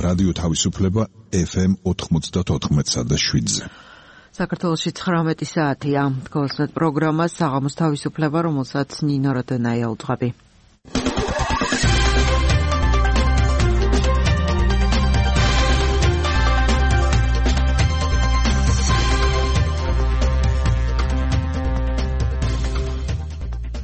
რადიო თავისუფლება FM 94.7-ზე. საქართველოში 19 საათია. გულისხმობთ პროგრამას საღამოს თავისუფლება, რომელსაც ნინო როდენაია უძღვები.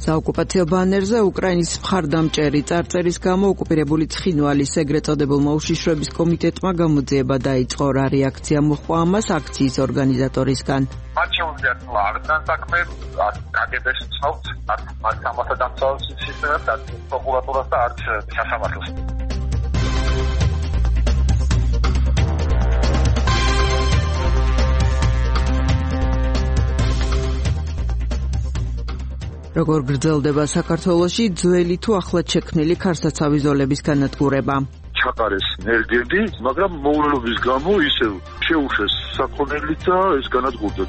საოკუპაციო ბანერზე უკრაინის მხარდამჭერი წარწერის გამო ოკუპირებული ცხინვალის ეგრეთ წოდებულმა უშიშროების კომიტეტმა გამოძიება დაიწყო. რა რეაქცია მოჰყვა ამას აქციის ორგანიზატორისგან? მათ შეუძლიათ არ დანსაქმე, კგბ-ს ცნობთ, მათ სამართალ დამცავ სისტემას, არც პროკურატურას და არც სასამართლოს. როგორ გრძელდება საქართველოში ძველი თუ ახლად შექმნილი ქარსაცავი ზოლების განადგურება? ჩაყარეს მერგები, მაგრამ მოულობის გამო ისევ შეუშვეს საქონელი და ეს განადგურდა.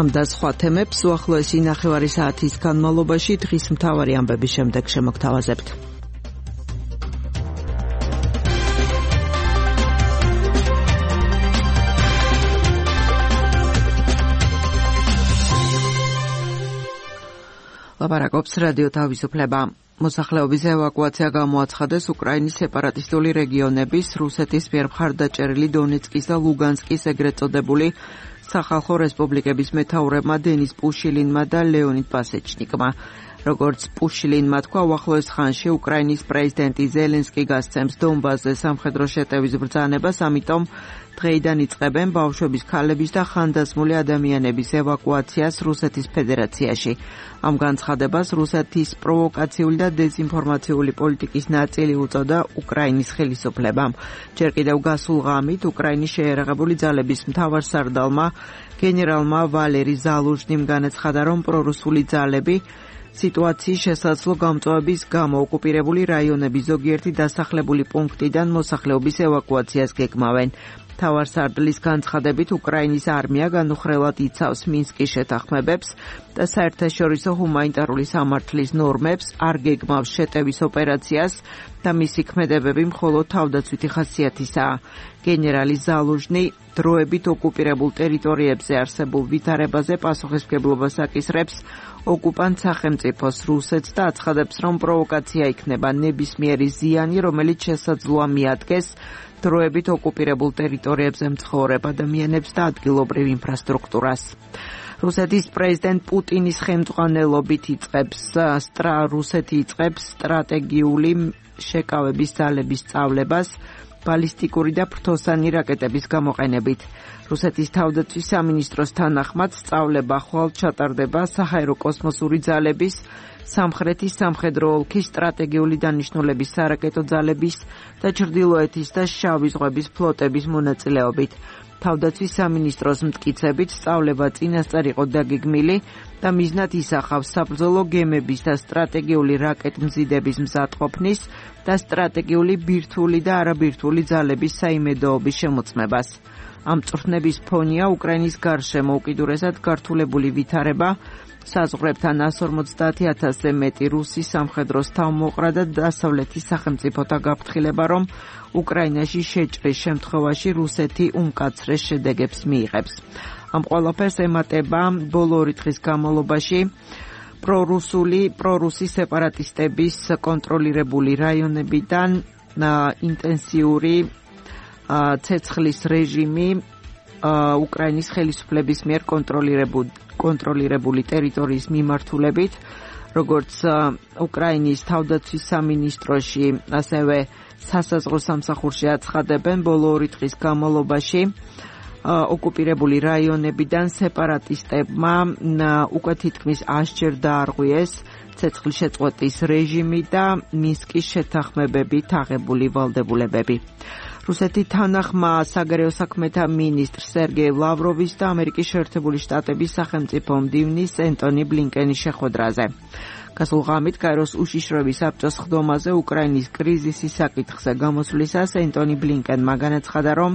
ამ და სხვა თემებს უახლოესი ნახევარი საათის განმავლობაში დღის მთავარი ამბების შემდეგ შემოგთავაზებთ. ლაპარაკობს რადიო თავისუფლება. მოსახლეობის ევაკუაცია გამოაცხადეს უკრაინის სეპარატისტული რეგიონების, რუსეთის მიერ მხარდაჭერილი დონეცკის და ლუგანსკის ეგრეთ წოდებული სახალხო რესპუბლიკების მეთაურებმა დენის პუშილინმა და ლეონიდ პასეჩნიკმა. როგორც პუშილინმა თქვა, უახლოეს ხანში უკრაინის პრეზიდენტი ზელენსკი გასცემს დონბასზე სამხედრო შეტევის ბრძანებას, ამიტომ დღეიდან იწყებენ ბავშვების, ქალების და ხანდაზმული ადამიანების ევაკუაციას რუსეთის ფედერაციაში. ამ განცხადებას რუსეთის პროვოკაციული და დეზინფორმაციული პოლიტიკის ნაწილი უწოდა უკრაინის ხელისუფლებამ. ჯერ კიდევ გასულ ღამით უკრაინის შეიარაღებული ძალების მთავარსარდალმა გენერალმა ვალერი ზალუჟნიმ განაცხადა, რომ პრორუსული ძალები სიტუაციის შესაძლო გამწვავების გამო ოკუპირებული რაიონების ზოგიერთი დასახლებული პუნქტიდან მოსახლეობის ევაკუაციას გეგმავენ. მთავარსარდლის განცხადებით უკრაინის არმია განუხრელად იცავს მინსკის შეთანხმებებს და საერთაშორისო ჰუმანიტარული სამართლის ნორმებს, არ გეგმავს შეტევის ოპერაციას და მისი ქმედებები მხოლოდ თავდაცვითი ხასიათისაა. გენერალი ზალუჟნი დროებით ოკუპირებულ ტერიტორიებზე არსებულ ვითარებაზე პასუხისმგებლობას აკისრებს ოკუპანტ სახელმწიფოს რუსეთს და აცხადებს, რომ პროვოკაცია იქნება ნებისმიერი ზიანი, რომელიც შესაძლოა მიადგეს დროებით ოკუპირებულ ტერიტორიებზე მცხოვრებ ადამიანებს და ადგილობრივ ინფრასტრუქტურას. რუსეთის პრეზიდენტ პუტინის ხელმძღვანელობით რუსეთი იწყებს სტრატეგიული შეკავების ძალების სწავლებას ბალისტიკური და ფრთოსანი რაკეტების გამოყენებით. რუსეთის თავდაცვის სამინისტროს თანახმად სწავლება ხვალ ჩატარდება საჰაერო კოსმოსური ძალების, სამხრეთის სამხედრო ოლქის სტრატეგიული დანიშნულების სარაკეტო ძალების და ჩრდილოეთის და შავი ზღვების ფლოტების მონაწილეობით. თავდაცვის სამინისტროს მტკიცებით სწავლება წინასწარ იყო დაგეგმილი და მიზნად ისახავს საბრძოლო გემების და სტრატეგიული რაკეტმზიდების მზადყოფნის და სტრატეგიული ბირთვული და არაბირთვული ძალების საიმედოობის შემოწმებას. ამ წვრთნების ფონია უკრაინის გარშემო უკიდურესად გართულებული ვითარება, საზღვრებთან 150,000-ზე მეტი რუსი სამხედრო თავმოყრა და დასავლეთის სახელმწიფოთა გაფრთხილება, რომ უკრაინაში შეჭრის შემთხვევაში რუსეთი უმკაცრეს შედეგებს მიიღებს. ამ ყველაფერს ემატება ბოლო 2 დღის განმავლობაში პრორუსი სეპარატისტების კონტროლირებული რაიონებიდან ინტენსიური ცეცხლის რეჟიმი უკრაინის ხელისუფლების მიერ კონტროლირებული ტერიტორიის მიმართულებით, როგორც უკრაინის თავდაცვის სამინისტროში, ასევე სასაზღვრო სამსახურში აცხადებენ, ბოლო 2 დღის განმავლობაში ოკუპირებული რაიონებიდან სეპარატისტებმა უკვე თითქმის 100-ჯერ დაარღვიეს ცეცხლშეწყვეტის რეჟიმი და მინსკის შეთანხმებებით აღებული ვალდებულებები. რუსეთის თანახმა საგარეო საქმეთა მინისტრ სერგეი ლავროვის და ამერიკის შეერთებული შტატების სახელმწიფო მდივნის ენტონი ბლინკენის შეხვედრაზე. გასულ ღამით კაიროს უშიშროების საბჭოს ხდომაზე უკრაინის კრიზისის საკითხზე გამოსვლისას ენტონი ბლინკენმა განაცხადა, რომ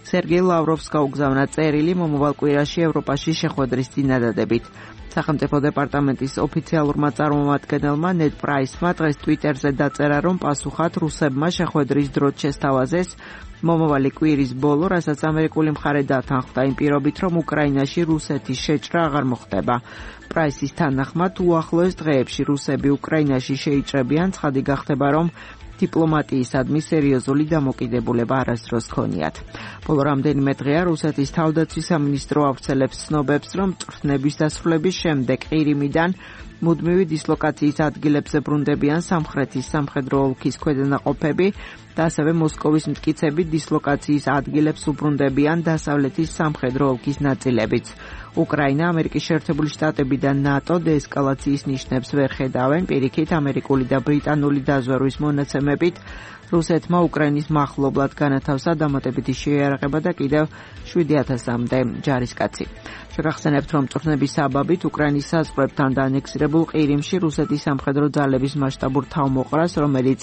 სერგეი ლავროვს გაუგზავნა წერილი მომავალ კვირაში ევროპაში შეხვედრის წინადადებით. სახელმწიფო დეპარტამენტის ოფიციალურმა წარმომადგენელმა ნედ პრაისმა დღეს ტვიტერზე დაწერა, რომ პასუხად რუსებმა შეხვედრის დროც შესთავაზეს მომავალი კვირის ბოლო, რასაც ამერიკული მხარე დათანხმდა იმ პირობით, რომ უკრაინაში რუსეთის შეჭრა აღარ მოხდება. პრაისის თანახმად უახლოეს დღეებში რუსები უკრაინაში შეიჭრებიან, ცხადი გახდება, რომ დიპლომატიისადმი სერიოზული დამოკიდებულება არასდროს ჰქონიათ. ბოლო რამდენიმე დღეა რუსეთის თავდაცვის სამინისტრო ავრცელებს ცნობებს, რომ მწვრთნების დასრულების შემდეგ ყირიმიდან მუდმივი დისლოკაციის ადგილებზე ბრუნდებიან სამხრეთის სამხედრო ოლქის ქვედანაყოფები და ასევე მოსკოვის მტკიცები დისლოკაციის ადგილებს უბრუნდებიან დასავლეთის სამხედრო ოლქის ნაწილებიც. უკრაინა, ამერიკის შეერთებული შტატები და ნატო დეესკალაციის ნიშნებს ვერ ხედავენ, პირიქით ამერიკული და ბრიტანული დაზვერვის მონაცემებით რუსეთმა უკრაინის მახლობლად განათავსა დამატებითი შეიარაღება და კიდევ 7,000-მდე ჯარისკაცი. შეგახსენებთ, რომ მწვრთნების საბაბით უკრაინის საზღვრებთან და ანექსირებულ ყირიმში რუსეთის სამხედრო ძალების მასშტაბურ თავმოყრას, რომელიც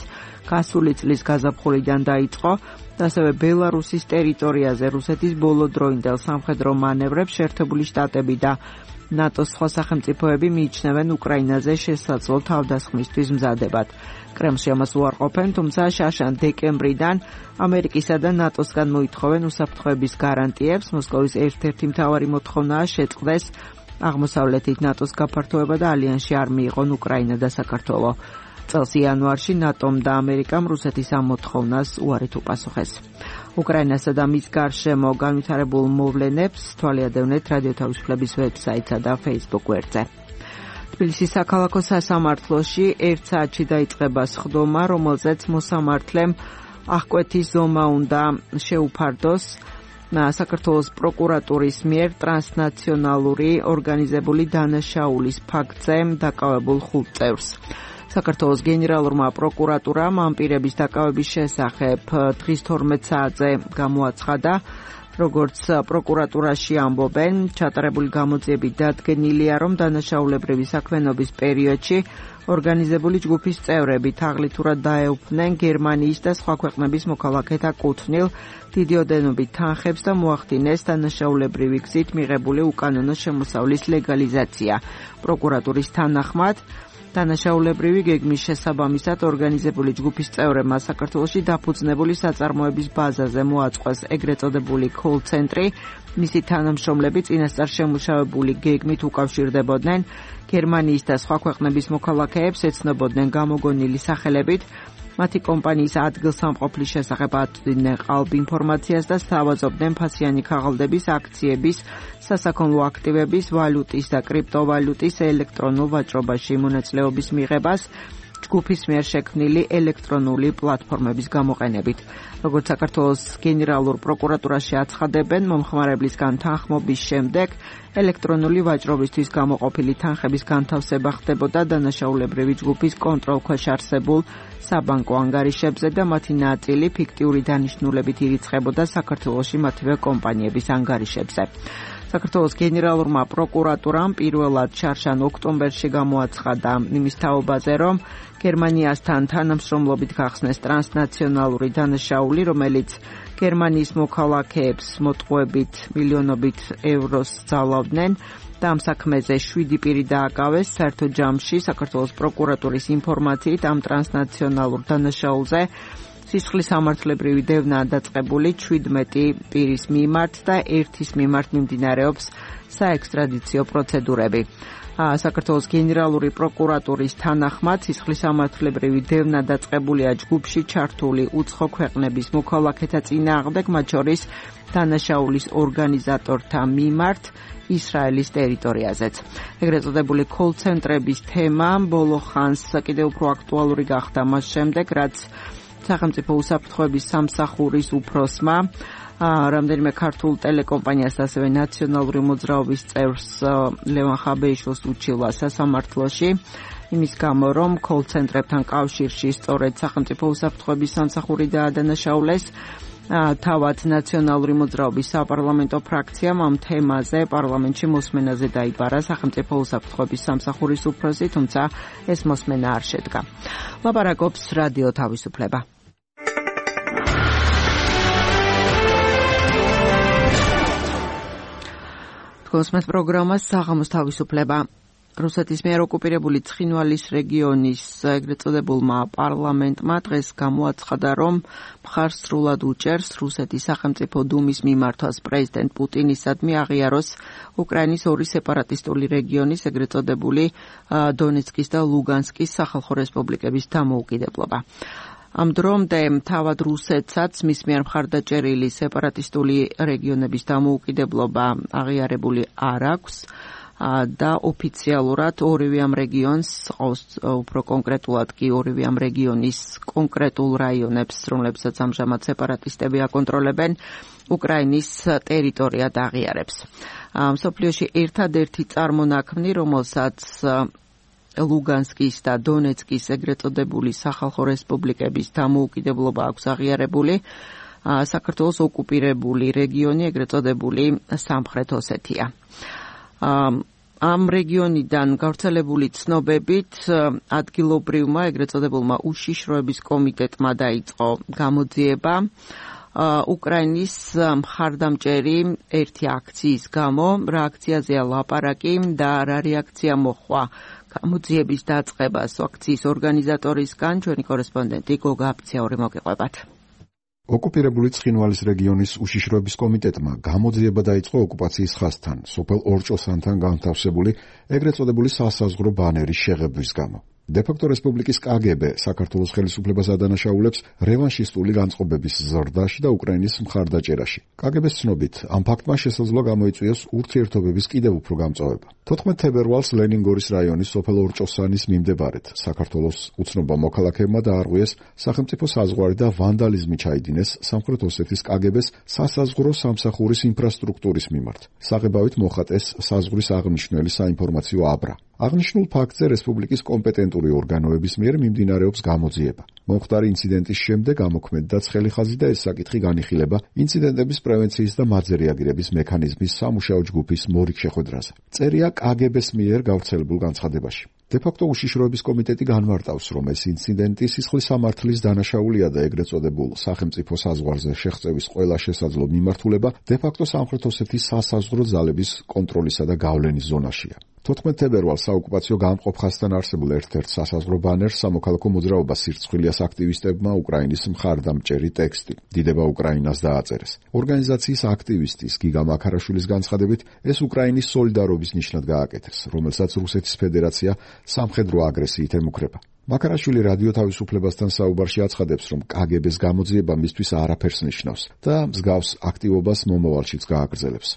გასული წლის გაზაფხულიდან დაიწყო, და ასევე ბელარუსის ტერიტორიაზე რუსეთის ბოლოდროინდელ სამხედრო მანევრებს შეერთებული შტატები და ნატოს სხვა სახელმწიფოები მიიჩნევენ უკრაინაზე შესაძლო თავდასხმისთვის მზადებად. კრემლში ამას უარყოფენ, თუმცა შაშან დეკემბრიდან ამერიკისა და ნატოსგან მოითხოვენ უსაფრთხოების გარანტიებს. მოსკოვის ერთ-ერთი მთავარი მოთხოვნაა შეწყდეს აღმოსავლეთით ნატოს გაფართოება და ალიანსში არ მიიღონ უკრაინა და საქართველო. წელს იანვარში ნატომ და ამერიკამ რუსეთის ამ მოთხოვნას უარით უპასუხეს. უკრაინასა და მის გარშემო განვითარებულ მოვლენებს თვალიადევნეთ რადიო თავისუფლების ვებსაიტსა და Facebook გვერდზე. თბილისის საქალაქო სასამართლოში 1 საათში დაიწყება სხდომა, რომელზეც მოსამართლემ აღკვეთის ზომა უნდა შეუფარდოს საქართველოს პროკურატურის მიერ ტრანსნაციონალური ორგანიზებული დანაშაულის ფაქტზე დაკავებულ 5 წევრს. საქართველოს გენერალურმა პროკურატურამ ამ პირების დაკავების შესახებ დღის 12 საათზე გამოაცხადა. როგორც პროკურატურაში ამბობენ, ჩატარებული გამოძიებით დადგენილია, რომ დანაშაულებრივი საქმიანობის პერიოდში ორგანიზებული ჯგუფის წევრები თაღლითურად დაეუფლნენ გერმანიის და სხვა ქვეყნების მოქალაქეთა კუთვნილ დიდი ოდენობით თანხებს და მოახდინეს დანაშაულებრივი გზით მიღებული უკანონო შემოსავლის ლეგალიზაცია. პროკურატურის თანახმად დანაშაულებრივი გეგმის შესაბამისად ორგანიზებული ჯგუფის წევრებმა საქართველოში დაფუძნებული საწარმოების ბაზაზე მოაწყვეს ეგრეთ წოდებული კოლ-ცენტრი. მისი თანამშრომლები წინასწარ შემუშავებული გეგმით უკავშირდებოდნენ გერმანიის და სხვა ქვეყნების მოქალაქეებს, ეცნობოდნენ გამოგონილი სახელებით, მათი კომპანიის ადგილსამყოფლის შესახებ აწვდიდნენ ყალბ ინფორმაციას და სთავაზობდნენ ფასიანი ქაღალდების, აქციების, სასაქონლო აქტივების, ვალუტის და კრიპტოვალუტის ელექტრონულ ვაჭრობაში მონაწილეობის მიღებას ჯგუფის მიერ შექმნილი ელექტრონული პლატფორმების გამოყენებით. როგორც საქართველოს გენერალურ პროკურატურაში აცხადებენ, მომხმარებლისგან თანხმობის შემდეგ ელექტრონული ვაჭრობისთვის გამოყოფილი თანხების განთავსება ხდებოდა დანაშაულებრივი ჯგუფის კონტროლქვეშ არსებულ საბანკო ანგარიშებზე და მათი ნაწილი ფიქტიური დანიშნულებით ირიცხებოდა საქართველოში მათივე კომპანიების ანგარიშებზე. საქართველოს გენერალურმა პროკურატურამ პირველად შარშან ოქტომბერში გამოაცხადა იმის თაობაზე, რომ გერმანიასთან თანამშრომლობით გახსნეს ტრანსნაციონალური დანაშაული, რომელიც გერმანიის მოქალაქეებს მოტყუებით მილიონობით ევროს ძალავდნენ და ამ საქმეზე 7 პირი დააკავეს. საერთო ჯამში საქართველოს პროკურატურის ინფორმაციით ამ ტრანსნაციონალურ დანაშაულზე სისხლის სამართლებრივი დევნაა დაწყებული 17 პირის მიმართ და ერთის მიმართ მიმდინარეობს საექსტრადიციო პროცედურები. საქართველოს გენერალური პროკურატურის თანახმად სისხლის სამართლებრივი დევნა დაწყებულია ჯგუფში ჩართული უცხო ქვეყნების მოქალაქეთა წინააღმდეგ, მათ შორის დანაშაულის ორგანიზატორთა მიმართ ისრაელის ტერიტორიაზეც. ეგრეთ წოდებული კოლ-ცენტრების თემა ბოლო ხანს კიდევ უფრო აქტუალური გახდა მას შემდეგ, რაც სახელმწიფო უსაფრთხოების სამსახურის უფროსმა რამდენიმე ქართულ ტელეკომპანიას და ასევე ნაციონალური მოძრაობის წევრს ლევან ხაბეიშვილს უჩილა სასამართლოში იმის გამო, რომ კოლ-ცენტრებთან კავშირში სწორედ სახელმწიფო უსაფრთხოების სამსახური დაადანაშაულეს. თავად ნაციონალური მოძრაობის საპარლამენტო ფრაქციამ ამ თემაზე პარლამენტში მოსმენაზე დაიბარა სახელმწიფო უსაფრთხოების სამსახურის უფროსი, თუმცა ეს მოსმენა არ შედგა. ლაპარაკობს რადიო თავისუფლება. თქვენს პროგრამა საღამოს თავისუფლება. რუსეთის მიერ ოკუპირებული ცხინვალის რეგიონის ეგრეთ წოდებულმა პარლამენტმა დღეს გამოაცხადა, რომ მხარს სრულად უჭერს რუსეთის სახელმწიფო დუმის მიმართვას პრეზიდენტ პუტინისადმი აღიაროს უკრაინის ორი სეპარატისტული რეგიონის ეგრეთ წოდებული დონეცკის და ლუგანსკის სახალხო რესპუბლიკების დამოუკიდებლობა. ამ დრომდე თავად რუსეთსაც მის მიერ მხარდაჭერილი სეპარატისტული რეგიონების დამოუკიდებლობა აღიარებული არ აქვს და ოფიციალურად ორივე ამ რეგიონს, უფრო კონკრეტულად კი ორივე ამ რეგიონის კონკრეტულ რაიონებს, რომლებსაც ამჟამად სეპარატისტები აკონტროლებენ, უკრაინის ტერიტორიად აღიარებს. მსოფლიოში ერთადერთი წარმონაქმნი, რომელსაც ლუგანსკის და დონეცკის ეგრეთ წოდებული სახალხო რესპუბლიკების დამოუკიდებლობა აქვს აღიარებული, საქართველოს ოკუპირებული რეგიონი ეგრეთ წოდებული სამხრეთ ოსეთია. ამ რეგიონიდან გავრცელებული ცნობებით ადგილობრივმა ეგრეთ წოდებულმა უშიშროების კომიტეტმა დაიწყო გამოძიება უკრაინის მხარდამჭერი ერთი აქციის გამო. რა აქციაზეა ლაპარაკი და რა რეაქცია მოჰყვა გამოძიების დაწყებას აქციის ორგანიზატორისგან? ჩვენი კორესპონდენტი გოგა აფციური მოგიყვებათ. ოკუპირებული ცხინვალის რეგიონის უშიშროების კომიტეტმა გამოძიება დაიწყო ოკუპაციის ხაზთან, სოფელ ორჭოსანთან განთავსებული ეგრეთ წოდებული სასაზღვრო ბანერის შეღებვის გამო. დე-ფაქტო რესპუბლიკის კგბ საქართველოს ხელისუფლებას ადანაშაულებს რევანშისტული განწყობების ზრდაში და უკრაინის მხარდაჭერაში. კგბ-ს ცნობით, ამ ფაქტმა შესაძლოა გამოიწვიოს ურთიერთობების კიდევ უფრო გამწვავება. 14 თებერვალს ლენინგორის რაიონის სოფელ ორჭოსანის მიმდებარედ საქართველოს უცნობმა მოქალაქეებმა დაარღვიეს სახელმწიფო საზღვარი და ვანდალიზმი ჩაიდინეს სამხრეთ ოსეთის კგბ-ს სასაზღვრო სამსახურის ინფრასტრუქტურის მიმართ. საღებავით მოხატეს საზღვრის აღნიშნული საინფორმაციო აბრა. აღნიშნულ ფაქტზე რესპუბლიკის კომპეტენტური ორგანოების მიერ მიმდინარეობს გამოძიება. მომხდარი ინციდენტის შემდეგ ამოქმედდა ცხელი ხაზი და ეს საკითხი განიხილება ინციდენტების პრევენციის და მათზე რეაგირების მექანიზმის სამუშაო ჯგუფის მორიგ შეხვედრაზე. წერია კგბ-ს მიერ გავრცელებულ განცხადებაში. დე-ფაქტო უშიშროების კომიტეტი განმარტავს, რომ ეს ინციდენტი სისხლის სამართლის დანაშაულია და ეგრეთ წოდებულ სახელმწიფო საზღვარზე შეღწევის ყველა შესაძლო მიმართულება დე-ფაქტო სამხრეთ ოსეთის სასაზღვრო ძალების კონტროლისა და გავლენის ზონაშია. 14 თებერვალს საოკუპაციო გამყოფ ხაზთან არსებულ ერთ-ერთ სასაზღვრო ბანერს სამოქალაქო მოძრაობას სირცხვილიას აქტივისტებმა უკრაინის მხარდამჭერი ტექსტი დიდება უკრაინას დააწერეს. ორგანიზაციის აქტივისტის გიგა მაქარაშვილის განცხადებით, ეს უკრაინის სოლიდარობის ნიშნად გააკეთეს, რომელსაც რუსეთის ფედერაცია სამხედრო აგრესიით ემუქრება. მაქარაშვილი რადიო თავისუფლებასთან საუბარში აცხადებს, რომ კგბ-ს გამოძიება მისთვის არაფერს ნიშნავს და მსგავს აქტივობას მომავალშიც გააგრძელებს.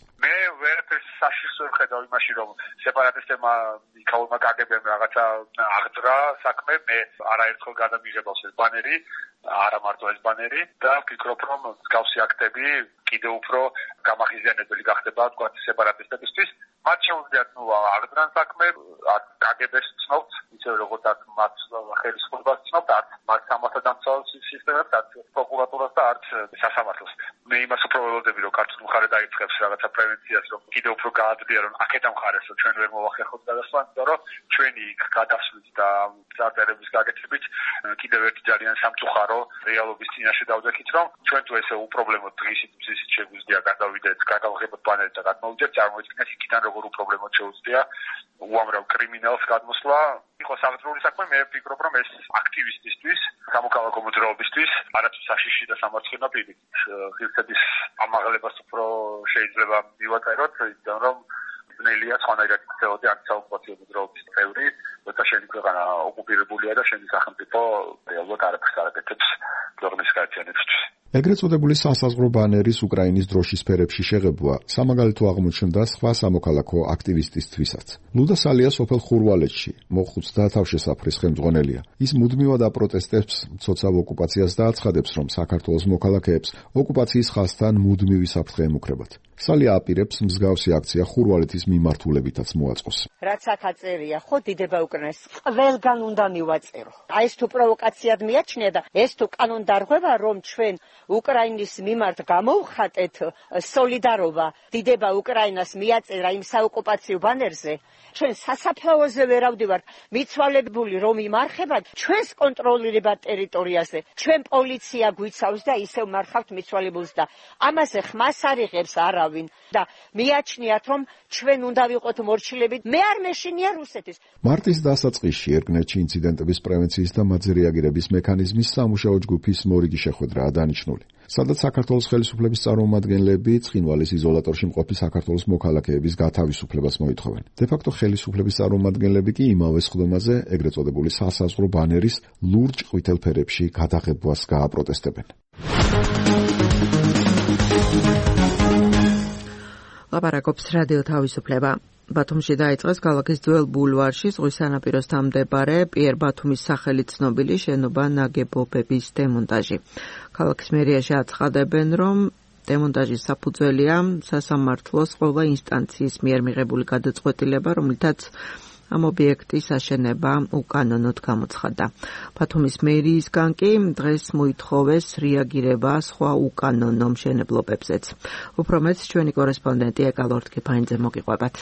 ხედავ იმაში, რომ სეპარატისტებმა იქაურმა კგბ-მ რაღაცა აღძრა საქმე, მე არაერთხელ გადამიღებავს ეს ბანერი, არა მარტო ეს ბანერი და ვფიქრობ, რომ მსგავსი აქტები კიდევ უფრო გამაღიზიანებელი გახდება თქვა სეპარატისტებისთვის. მათ შეუძლიათ აღძრან საქმე, კგბ-ს ცნობთ, ისე როგორც მათ ხელისუფლებას ცნობთ, მათ სამართალდამცავ სისტემებს, პროკურატურას და არც სასამართლოს. მე იმას უფრო ველოდები, რომ ქართულ მხარე დაიწყებს რაღაცა პრევენციას, რომ კიდევ უფრო გააძლიერონ აქეთ ამხარეს, რომ ჩვენ ვერ მოვახერხოთ გადასვლა, იმიტომ რომ ჩვენი გადასვლით და წარწერების გაკეთებით კიდევ ერთი ძალიან სამწუხარო რეალობის წინაშე დავდექით, რომ ჩვენ თუ ესე უპრობლემოდ დღისით შეგვიძლია გადავიდეთ, გადავღებოთ ბანერს და გადმოვიდეთ, წარმოიდგინეთ იქიდან როგორ უპრობლემოდ შეუძლია უამრავ კრიმინალს გადმოსვლა. იყო სამართლური საქმე, მე ვფიქრობ, რომ ეს აქტივისტისთვის, სამოქალაქო მოძრაობისთვის არათუ საშიში და სამარცხენია პირიქით. ღირსების ამაღლებას უფრო შეიძლება მივაწეროთ, იმიტომ რომ ბნელია სხვანაირად იქცეოდი ანტისაოკუპაციო მოძრაობის წევრი, როცა შენი ქვეყანა ოკუპირებულია და შენი სახელმწიფო რეალურად არაფერს არ აკეთებს ქვეყნის გაერთიანებისთვის. ეგრეთ წოდებული სასაზღვრო ბანერის უკრაინის დროშის ფერებში შეღებვა სამაგალითო აღმოჩნდა სხვა სამოქალაქო აქტივისტისთვისაც. ლუდა სალია სოფელ ხურვალეთში მოხუცთა თავშესაფრის ხელმძღვანელია. ის მუდმივად აპროტესტებს მცოცავ ოკუპაციას და აცხადებს, რომ საქართველოს მოქალაქეებს ოკუპაციის ხაზთან მუდმივი საფრთხე ემუქრებათ. სალია აპირებს მსგავსი აქცია ხურვალეთის მიმართულებითაც მოაწყოს. რაც აქ აწერია, ხო დიდება უკრაინას ყველგან უნდა მივაწერო. აი ეს თუ პროვოკაციად მიაჩნია და ეს თუ კანონდარღვევა, რომ ჩვენ უკრაინის მიმართ გამოვხატეთ სოლიდარობა, დიდება უკრაინას მიაწერა იმ საოკუპაციო ბანერზე, ჩვენ სასაფლაოზე ვერავდივართ, მიცვალებული რომ იმარხებათ ჩვენს კონტროლირებად ტერიტორიაზე, ჩვენ პოლიცია გვიცავს და ისევ მარხავთ მიცვალებულს და ამაზე ხმას არ იღებს არავის. ხედავინ და მიაჩნიათ, რომ ჩვენ უნდა ვიყოთ მორჩილები. მე არ მეშინია რუსეთის. მარტის დასაწყისში ერგნეთში ინციდენტების პრევენციის და მათზე რეაგირების მექანიზმის სამუშაო ჯგუფის მორიგი შეხვედრაა დანიშნული. სადაც საქართველოს ხელისუფლების წარმომადგენლები ცხინვალის იზოლატორში მყოფი საქართველოს მოქალაქეების გათავისუფლებას მოითხოვენ. დე-ფაქტო ხელისუფლების წარმომადგენლები კი იმავე სხდომაზე, ეგრეთ წოდებული სასაზღვრო ბანერის ლურჯ ყვითელ ფერებში გადაღებვას გააპროტესტებენ. ლაპარაკობს რადიო თავისუფლება. ბათუმში დაიწყეს ქალაქის ძველ ბულვარში ზღვის სანაპიროსთან მდებარე პიერ ბათუმის სახელით ცნობილი შენობა ნაგებობების დემონტაჟი. ქალაქის მერიაში აცხადებენ, რომ დემონტაჟის საფუძველია სასამართლოს ყველა ინსტანციის მიერ მიღებული გადაწყვეტილება, რომლითაც ამ ობიექტის აშენება უკანონოდ გამოცხადდა. ბათუმის მერიისგან კი დღეს მოითხოვეს რეაგირება სხვა უკანონო მშენებლობებზეც. უფრო მეტს ჩვენი კორესპონდენტი ეკალორტკიფაინძე მოგიყვებათ.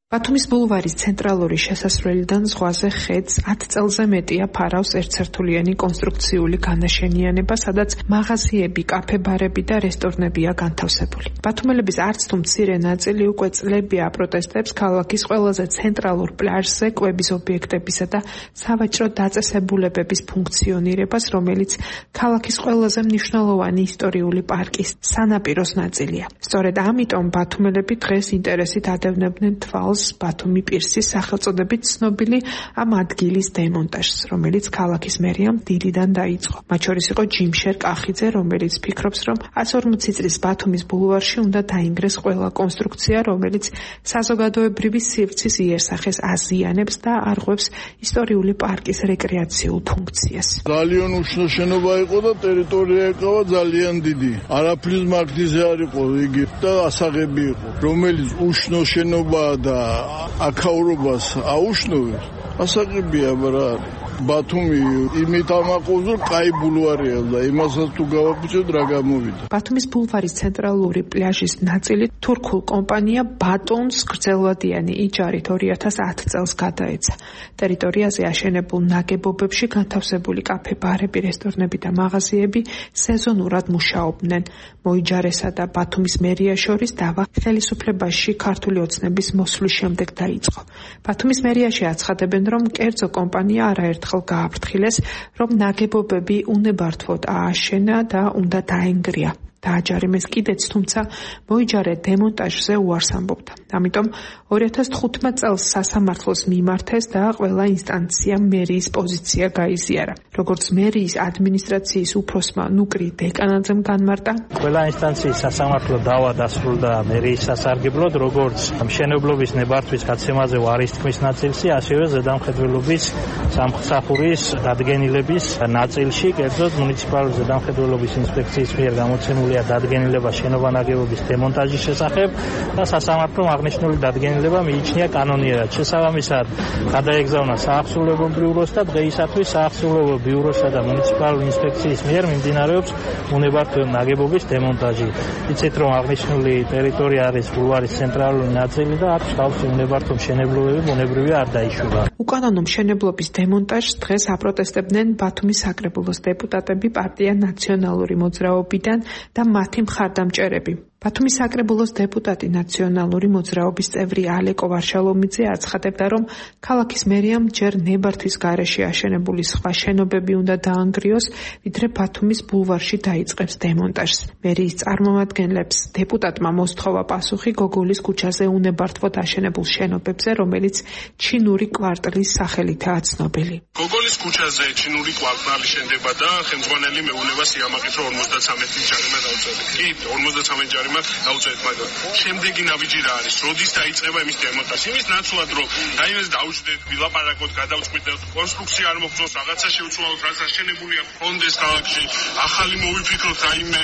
ბათუმის ბულვარის ცენტრალური შესასვლელიდან ზღვაზე ხედს 10 წელზე მეტია ფარავს ერთსართულიანი კონსტრუქციული განაშენიანება, სადაც მაღაზიები, კაფე-ბარები და რესტორნებია განთავსებული. ბათუმელების არც თუ მცირე ნაწილი უკვე წლებია აპროტესტებს ქალაქის ყველაზე ცენტრალურ პლაჟზე კვების ობიექტებისა და სავაჭრო დაწესებულებების ფუნქციონირებას, რომელიც ქალაქის ყველაზე მნიშვნელოვანი ისტორიული პარკის სანაპიროს ნაწილია. სწორედ ამიტომ ბათუმელები დღეს ინტერესით ადევნებდნენ თვალს ბათუმი პირსის სახელწოდებით ცნობილი ამ ადგილის დემონტაჟს, რომელიც ქალაქის მერიამ დილიდან დაიწყო. მათ შორის იყო ჯიმშერ კახიძე, რომელიც ფიქრობს, რომ 140 წლის ბათუმის ბულვარში უნდა დაინგრეს ყველა კონსტრუქცია, რომელიც საზოგადოებრივი სივრცის იერსახეს აზიანებს და არღვევს ისტორიული პარკის რეკრეაციულ ფუნქციას. ძალიან უშნო შენობა იყო და ტერიტორია ეკავა ძალიან დიდი. არაფრის მაგდიზე არ იყო იგი და ასაღები იყო, რომელიც უშნო შენობაა და აქაურობას აუშნოვებს, ასაღებია რა არის. ბათუმი იმით ამაყობს, რომ კაი ბულვარია და იმასაც თუ გავაფუძნებთ რა გამოვიდა. ბათუმის ბულვარის ცენტრალური პლაჟის ნაწილი თურქულ კომპანია ბატონს გრძელვადიანი იჯარით 2010 წელს გადაეცა. ტერიტორიაზე აშენებულ ნაგებობებში განთავსებული კაფე-ბარები, რესტორნები და მაღაზიები სეზონურად მუშაობდნენ. მოიჯარესა და ბათუმის მერია შორის დავა ხელისუფლებაში ქართული ოცნების მოსვლის შემდეგ დაიწყო. ბათუმის მერიაში აცხადებენ, რომ კერძო კომპანია არაერთხელ გააფრთხილეს, რომ ნაგებობები უნებართვოდ ააშენა და უნდა დაენგრია. დააჯარიმეს კიდეც, თუმცა მოიჯარე დემონტაჟზე უარს ამბობდა. ამიტომ 2015 წელს სასამართლოს მიმართეს და ყველა ინსტანციამ მერიის პოზიცია გაიზიარა. როგორც მერიის ადმინისტრაციის უფროსმა ნუკრი დეკანაძემ განმარტა, ყველა ინსტანციის სასამართლო დავა დასრულდა მერიის სასარგებლოდ, როგორც მშენებლობის ნებართვის გაცემაზე ვარის თქმის ნაწილში, ასევე ზედამხედველობის სამსახურის დადგენილების ნაწილში, კერძოდ მუნიციპალური ზედამხედველობის ინსპექციის მიერ გამოცემული დადგენილება შენობა ნაგებობის დემონტაჟის შესახებ და სასამართლომ აღნიშნული დადგენილება მიიჩნია კანონიერად. შესაბამისად, გადაეგზავნა საახსოვლებო ბიუროს და დღეისათვის საახსოვლებო ბიუროსა და მუნიციპალური ინსპექციის მიერ მიმდინარეობს უნებართვო ნაგებობის დემონტაჟი. იცით, რომ აღნიშნული ტერიტორია არის ბულვარის ცენტრალური ნაწილი და აქვს თავისი უნებართვო მშენებლობები, ბუნებრივია არ დაიშულა. უკანონო მშენებლობის დემონტაჟს დღეს აპროტესტებდნენ ბათუმის საკრებულოს დეპუტატები, პარტია ნაციონალური მოძრაობიდან და მათი მხარდამჭერები. ბათუმის საკრებულოს დეპუტატი ნაციონალური მოძრაობის წევრი ალეკო ვარშალომიძე აცხადებდა, რომ ქალაქის მერიამ ჯერ ნებართვის გარეშე აშენებული სხვა შენობები უნდა დაანგრიოს, ვიდრე ბათუმის ბულვარში დაიწყებს დემონტაჟს. მერიის წარმომადგენლებს დეპუტატმა მოსთხოვა პასუხი გოგოლის ქუჩაზე უნებართვოდ აშენებულ შენობებზე, რომელიც ჩინური კვარტლის სახელითაა ცნობილი. გოგოლის ქუჩაზე ჩინური კვარტალი შენდება და ხელმძღვანელი მეუბნებას იამაყის, რომ 53 ჯარიმა დაუწევთ. კი, 53 ჯარიმა დაუწევთ, მაგრამ შემდეგი ნაბიჯი რა არის? როდის დაიწყება იმის დემონტაჟი? იმის ნაცვლად, რომ რაიმეს დაუჯდეთ, ვილაპარაკოთ, გადავწყვიტეთ, კონსტრუქცია არ მოხდეს, რაღაცა შევცვალოთ, რაც აშენებულია ფონდეს ქალაქში, ახალი მოვიფიქროთ რაიმე.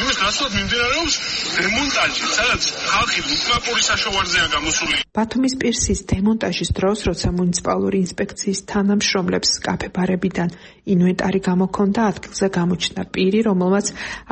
იმის ნაცვლად მიმდინარეობს დემონტაჟი, სადაც ხალხი უკმაყური საშოვარზეა გამოსული. ბათუმის პირსის დემონტაჟის დროს, როცა მუნიციპალური ინსპექციის თანამშრომლებს კაფე-ბარებიდან ინვენტარი გამოქონდა, ადგილზე გამოჩნდა პირი, რომელმაც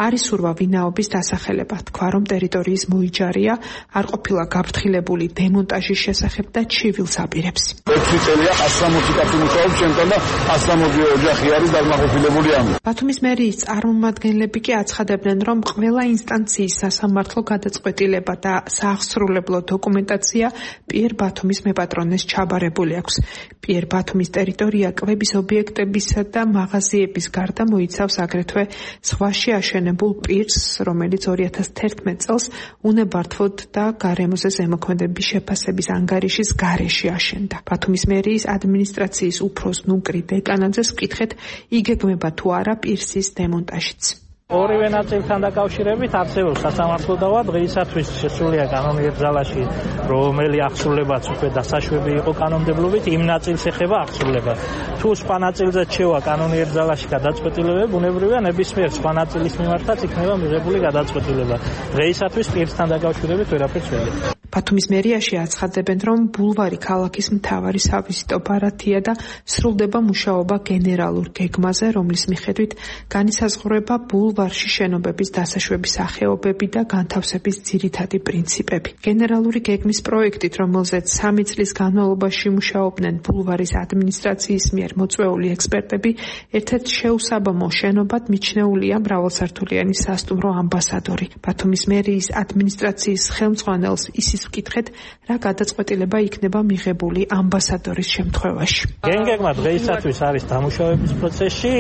არის სურვა ვინაობის დასახელება თქვა, რომ ტერიტორიის მოიჯარია, არ ყოფილა გაფრთხილებული დემონტაჟის შესახებ და ჩივილს აპირებს. 6 წელია 160 კაცი მუშაობს ჩემთან და 160 ოჯახი არის დაღმაყოფილებული ამით. ბათუმის მერიის წარმომადგენლები კი აცხადებდნენ, რომ ყველა ინსტანციის სასამართლო გადაწყვეტილება და სააღსრულებლო დოკუმენტაცია პიერ ბათუმის მეპატრონეს ჩაბარებული აქვს. პიერ ბათუმის ტერიტორია კვების ობიექტებისა და მაღაზიების გარდა მოიცავს აგრეთვე ზღვაში აშენებულ პირს, რომელიც 2011 წელს უნებართვოდ და გარემოზე ზემოქმედების შეფასების ანგარიშის გარეშე აშენდა. ბათუმის მერიის ადმინისტრაციის უფროს ნუკრი დეკანაძეს ვკითხეთ, იგეგმება თუ არა პირსის დემონტაჟიც. ორივე ნაწილთან დაკავშირებით არსებობს სასამართლო დავა დღეისათვის შესულია კანონიერ ძალაში, რომელი აღსრულებაც უკვე დასაშვები იყო კანონმდებლობით, იმ ნაწილს ეხება აღსრულება. თუ სხვა ნაწილზეც შევა კანონიერ ძალაში გადაწყვეტილებები, ბუნებრივია ნებისმიერ სხვა ნაწილის მიმართაც იქნება მიღებული გადაწყვეტილება. დღეისათვის პირსთან დაკავშირებით ვერაფერს ვერ ვიგებ. ბათუმის მერიაში აცხადებენ, რომ ბულვარი ქალაქის მთავარი სავიზიტო ბარათია და სრულდება მუშაობა გენერალურ გეგმაზე, რომლის მიხედვით განისაზღვრება ბულვარში შენობების დასაშვების სახეობები და განთავსების ძირითადი პრინციპები. გენერალური გეგმის პროექტით, რომელზეც 3 წლის განმავლობაში მუშაობდნენ ბულვარის ადმინისტრაციის მიერ მოწვეული ექსპერტები, ერთ-ერთ შეუსაბამო შენობად მიჩნეულია მრავალსართულიანი სასტუმრო ამბასადორი. ბათუმის მერიის ადმინისტრაციის ხელმძღვანელს ისიც ვკითხეთ, რა გადაწყვეტილება იქნება მიღებული ამბასადორის შემთხვევაში. გენგეგმა დღეისათვის არის დამუშავების პროცესში,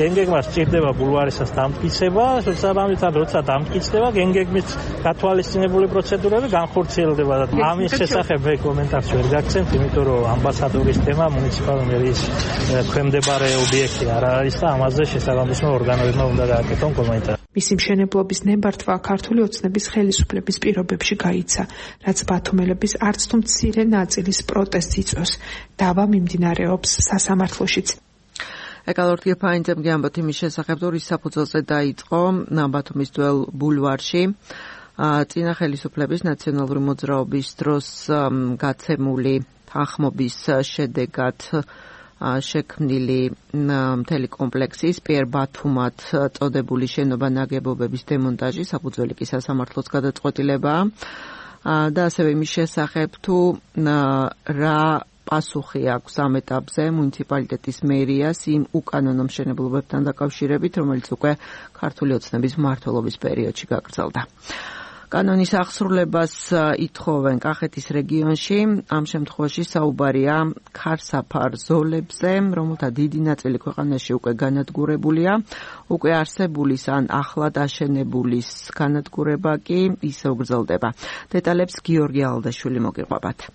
გენგეგმა სჭირდება ბულვარისას დამტკიცება, შესაბამისად, როცა დამტკიცდება, გენგეგმის გათვალისწინებული პროცედურები განხორციელდება. ამის შესახებ მე კომენტარს ვერ გაგცემთ, იმიტომ რომ ამბასადორის თემა მუნიციპალური მერიის ქვემდებარე ობიექტი არ არის და ამაზე შესაბამისმა ორგანოებმა უნდა გააკეთონ კომენტარი. მისი მშენებლობის ნებართვა ქართული ოცნების ხელისუფლების პირობებში გაიცა, რაც ბათუმელების არც თუ მცირე ნაწილის პროტესტს იწვევს. დავა მიმდინარეობს სასამართლოშიც. ეკალორტი ფაინძემ ამბობთ იმის შესახებ, რომ რის საფუძველზე დაიწყო ბათუმის დუელ ბულვარში წინა ხელისუფლების ნაციონალური მოძრაობის დროს გაცემული თანხმობის შედეგად შექმნილი მთელი კომპლექსის პიერ ბათუმად წოდებული შენობა ნაგებობების დემონტაჟი საფუძველი კი სასამართლოს გადაწყვეტილებაა და ასევე იმის შესახებ თუ რა პასუხი აქვს ამ ეტაპზე მუნიციპალიტეტის მერიას იმ უკანონო მშენებლობებთან დაკავშირებით, რომელიც უკვე ქართული ოცნების მმართველობის პერიოდში გაგრძელდა. კანონის აღსრულებას ითხოვენ კახეთის რეგიონში, ამ შემთხვევაში საუბარია ქარსაფარ ზოლებზე, რომელთა დიდი ნაწილი ქვეყანაში უკვე განადგურებულია, უკვე არსებულის ან ახლად აშენებულის განადგურება კი ისევ გრძელდება. დეტალებს გიორგი ალდაშვილი მოგიყვებათ.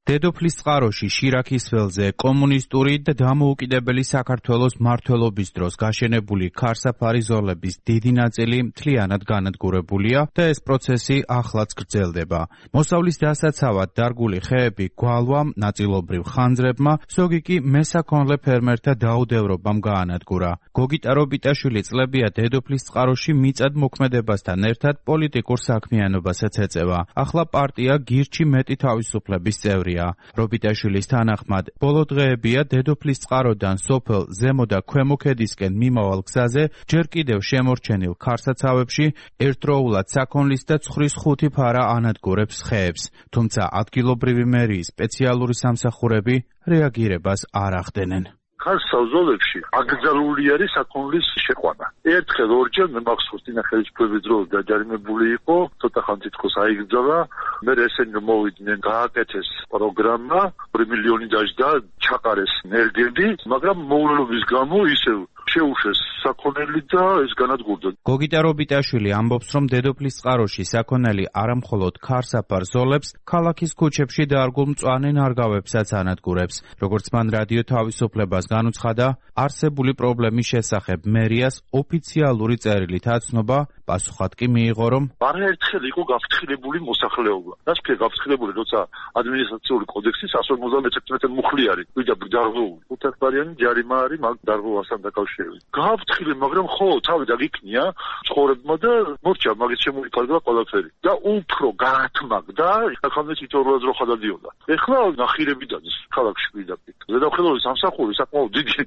დედოფლის წყაროში შირაქის ველზე კომუნისტური და დამოუკიდებელი საქართველოს მმართველობის დროს გაშენებული ქარსაფარი ზოლების დიდი ნაწილი მთლიანად განადგურებულია და ეს პროცესი ახლაც გრძელდება. მოსავლის დასაცავად დარგული ხეები გვალვამ, ნაწილობრივ ხანძრებმა, ზოგი კი მესაქონლე ფერმერთა დაუდევრობამ გაანადგურა. გოგიტა რობიტაშვილი წლებია დედოფლის წყაროში მიწად მოქმედებასთან ერთად პოლიტიკურ საქმიანობასაც ეწევა. ახლა პარტია გირჩი მეტი თავისუფლების წევრია. რობიტაშვილის თანახმად, ბოლო დღეებია დედოფლის წყაროდან სოფელ ზემო და ქვემო ქედისკენ მიმავალ გზაზე ჯერ კიდევ შემორჩენილ ქარსაცავებში ერთდროულად საქონლის და ცხრის 5 ფარა ანადგურებს ხეებს, თუმცა ადგილობრივი მერიის სპეციალური სამსახურები რეაგირებას არ ახდენენ. ქარსავზოლებში აკრძალული არის საქონლის შეყვანა. ერთხელ ორჯერ მე მახსოვს წინა ხელისუფლების დროს დაჯარიმებული იყო, ცოტა ხანი თითქოს აიგრძალა, მე ესენი მოვიდნენ, გააკეთეს პროგრამა, 2 მილიონი დაჯდა, ჩაყარეს ნერგები, მაგრამ მოულობის გამო ისევ შეუშვეს საქონელი და ეს განადგურდა. გოგიტა რობიტაშვილი ამბობს, რომ დედოფლის წყაროში საქონელი არამხოლოდ ქარსაფარ ზოლებს, ქალაქის ქუჩებში დარგულ მწვანე ნარგავებსაც ანადგურებს. როგორც მან რადიო თავისუფლებას განუცხადა, არსებული პრობლემის შესახებ მერიას ოფიციალური წერილით აცნობა, პასუხად კი მიიღო, რომ არაერთხელ იყო გაფრთხილებული მოსახლეობა. რასკე გაფრთხილებული, როცა ადმინისტრაციული კოდექსის 151 მუხლი არის, ვიდა დარღვეული. 5 არიანი ჯარიმა არის მაგ დარღვევასთან დაკავშირებით. ხშირი. გააფრთხილე, მაგრამ ხო, თავიდან იქნია ცხოვრებმა და მორჩა მაგის შემოიფარგლა ყველაფერი. და უფრო გაათმაგდა, ახალმე თითოეულად რო ხადადიოდა. ეხლა ნახირები დადის ქალაქში პირდაპირ. ზედამხედველობის სამსახური საკმაოდ დიდი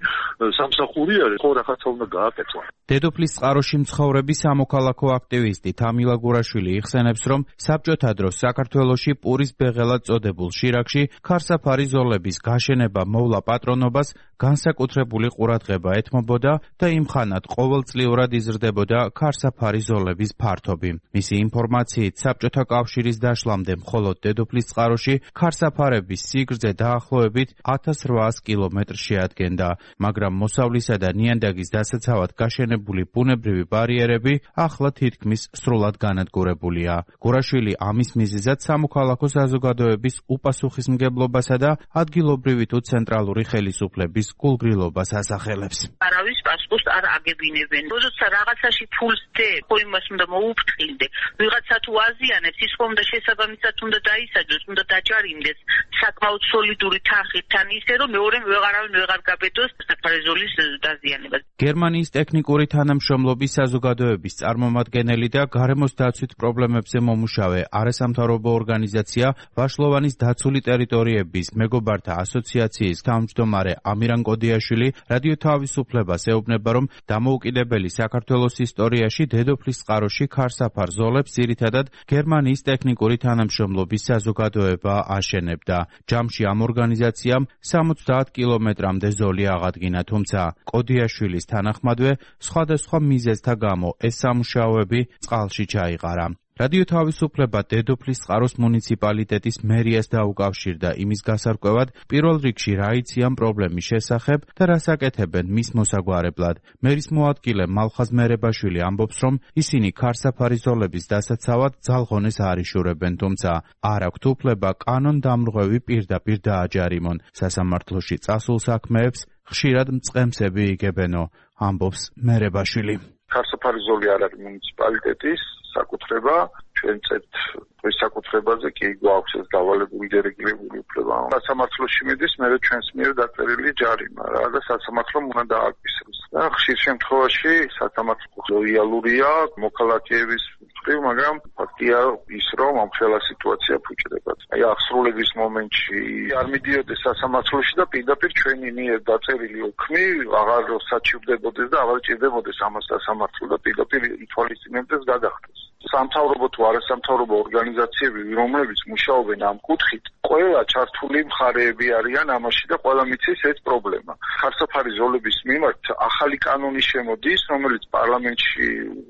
სამსახური არის, ხო რაღაცა უნდა გააკეთო. დედოფლის წყაროში მცხოვრები სამოქალაქო აქტივისტი თამილა გურაშვილი იხსენებს, რომ საბჭოთა დროს საქართველოში პურის ბეღელად წოდებულ შირაქში ქარსაფარი ზოლების გაშენება მოვლა პატრონობას განსაკუთრებული ყურადღება ეთმობოდა და იმხანად ყოველწლიურად იზრდებოდა ქარსაფარი ზოლების ფართობი. მისი ინფორმაციით, საბჭოთა კავშირის დაშლამდე მხოლოდ დედოფლის წყაროში ქარსაფარების სიგრძე დაახლოებით 1800 კილომეტრს შეადგენდა, მაგრამ მოსავლისა და ნიადაგის დასაცავად გაშენებული ბუნებრივი ბარიერები ახლა თითქმის სრულად განადგურებულია. გურაშვილი ამის მიზეზად სამოქალაქო საზოგადოების უპასუხისმგებლობასა და ადგილობრივი თუ ცენტრალური ხელისუფლების გულგრილობას ასახელებს. არავის პასპორტს არ აგებინებენ. როცა რაღაცაში ფულს დე, ხო იმას უნდა მოუფრთხილდე. ვიღაცა თუ აზიანებს, ის ხომ და შესაბამისად უნდა დაისაჯოს, უნდა დაჯარიმდეს საკმაოდ სოლიდური თანხით, თან ისე რომ მეორემ ვეღარავინ ვეღარ გაბედოს საფარეზოლის დაზიანებას. გერმანიის ტექნიკური თანამშრომლობის საზოგადოების წარმომადგენელი და გარემოს დაცვით პრობლემებზე მომუშავე არასამთავრობო ორგანიზაცია ვაშლოვანის დაცული ტერიტორიების მეგობართა ასოციაციის თავმჯდომარე ამირან კოდიაშვილი რადიო თავისუფლებას ეუბნება, რომ დამოუკიდებელი საქართველოს ისტორიაში დედოფლის წყაროში ქარსაფარ ზოლებს ძირითადად გერმანიის ტექნიკური თანამშრომლობის საზოგადოება აშენებდა. ჯამში ამ ორგანიზაციამ 70 კილომეტრამდე ზოლი აღადგინა, თუმცა კოდიაშვილის თანახმადვე სხვადასხვა მიზეზთა გამო ეს სამუშაოები წყალში ჩაიყარა. რადიო თავისუფლება დედოფლის წყაროს მუნიციპალიტეტის მერიას დაუკავშირდა იმის გასარკვევად, პირველ რიგში რა იციან პრობლემის შესახებ და რას აკეთებენ მის მოსაგვარებლად. მერის მოადგილე მალხაზ მერებაშვილი ამბობს, რომ ისინი ქარსაფარი ზოლების დასაცავად ძალღონეს არ იშურებენ, თუმცა არ აქვთ უფლება კანონდამრღვევი პირდაპირ დააჯარიმონ. სასამართლოში წასულ საქმეებს ხშირად მწყემსები იგებენო, ამბობს მერებაშვილი. ქარსაფარი ზოლი არ არის მუნიციპალიტეტის საკუთრება, ჩვენ წეთ ეს საკუთრებაზე კი გვაქვს ეს დავალებული დერეგულირებული უფლება. სასამართლოში მიდის, მე ჩვენს მიერ დაწერილი ჯარიმა რა და სასამართლომ უნდა დააკისროს. და ხშირ შემთხვევაში სასამართლო ლოიალურია მოქალაქეების მხრივ, მაგრამ ფაქტია ის, რომ ამ ხელა სიტუაცია ფუჭდება. აი აღსრულების მომენტში არ მიდიოდეს სასამართლოში და პირდაპირ ჩვენი მიერ დაწერილი ოქმი აღარ საჩივრდებოდეს და აღარ ჭირდებოდეს ამას სასამართლო და პირდაპირ ითვალისწინებდეს გადახდეს. სამთავრობო თუ არასამთავრობო ორგანიზაციები, რომლებიც მუშაობენ ამ კუთხით, ყველა ჩართული მხარეები არიან ამაში და ყველა მიცის ეს პრობლემა. ქარსაფარი ზოლების მიმართ ახალი კანონი შემოდის, რომელიც პარლამენტში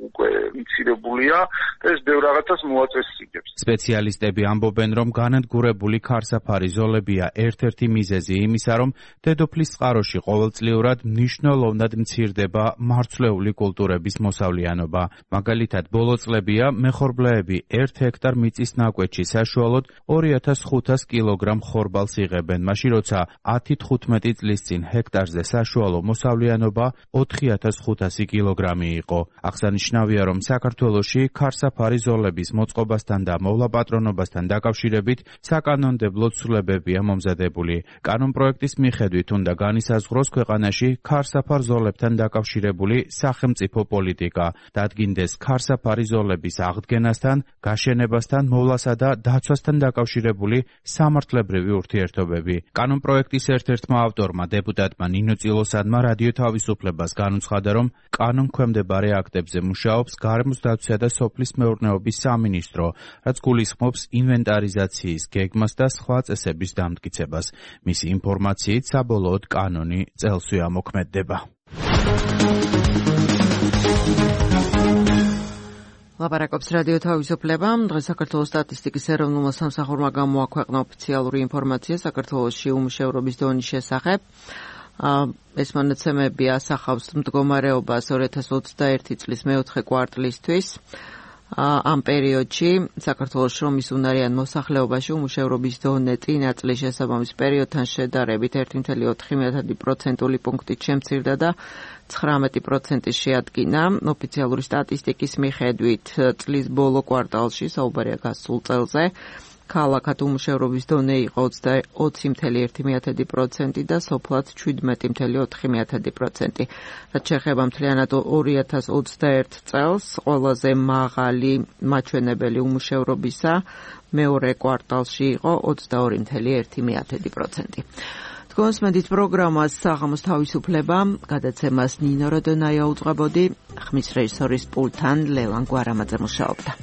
უკვე ინიცირებულია და ეს ბევრ რაღაცას მოაწესრიგებს. სპეციალისტები ამბობენ, რომ განადგურებული ქარსაფარი ზოლებია ერთ-ერთი მიზეზი იმისა, რომ დედოფლის წყაროში ყოველწლიურად მნიშვნელოვნად მცირდება მარცვლეული კულტურების მოსავლიანობა. მაგალითად, ბოლო წლებია მეხორბლეები 1 ჰექტარ მიწის ნაკვეთში საშუალოდ 2500 კილოგრამ ხორბალს იღებენ, მაშინ როცა 10-15 წლის წინ ჰექტარზე საშუალო მოსავლიანობა 4500 კილოგრამი იყო. აღსანიშნავია, რომ საქართველოში ქარსაფარი ზოლების მოწყობასთან და მოვლაპატრონობასთან დაკავშირებით საკანონმდებლო ცვლილებებია მომზადებული. კანონპროექტის მიხედვით უნდა განისაზღვროს ქვეყანაში ქარსაფარ ზოლებთან დაკავშირებული სახელმწიფო პოლიტიკა, დადგინდეს ქარსაფარი ზოლების აღდგენასთან, გაშენებასთან, მოვლასა და დაცვასთან დაკავშირებული სამართლებრივი ურთიერთობები. კანონპროექტის ერთ-ერთმა ავტორმა, დეპუტატმა ნინო წილოსადმა რადიო თავისუფლებას განუცხადა, რომ კანონქვემდებარე აქტებზე მუშაობს გარემოს დაცვისა და სოფლის მეურნეობის სამინისტრო, რაც გულისხმობს ინვენტარიზაციის გეგმას და სხვა წესების დამტკიცებას. მისი ინფორმაციით, საბოლოოდ კანონი წელსვე ამოქმედდება. ლაპარაკობს რადიო თავისუფლება. დღეს საქართველოს სტატისტიკის ეროვნულმა სამსახურმა გამოაქვეყნა ოფიციალური ინფორმაცია საქართველოში უმუშევრობის დონის შესახებ. ეს მონაცემები ასახავს მდგომარეობას 2021 წლის მეოთხე კვარტლისთვის. ამ პერიოდში საქართველოს შრომის უნარიან მოსახლეობაში უმუშევრობის დონე წინა წლის შესაბამის პერიოდთან შედარებით 1.4% პუნქტით შემცირდა და 19% შეადგინა. ოფიციალური სტატისტიკის მიხედვით წლის ბოლო კვარტალში, საუბარია გასულ წელზე, ქალაქად უმუშევრობის დონე იყო 20.1% და სოფლად 17.4%. რაც შეეხება მთლიანად 2021 წელს, ყველაზე მაღალი მაჩვენებელი უმუშევრობისა მეორე კვარტალში იყო 22.1%. თქვენს მედით პროგრამას საღამოს თავისუფლება, გადაცემას ნინო როდონაია უძღვებოდი, ხმის რეჟისორის პულტთან ლევან გვარამაძე მუშაობდა.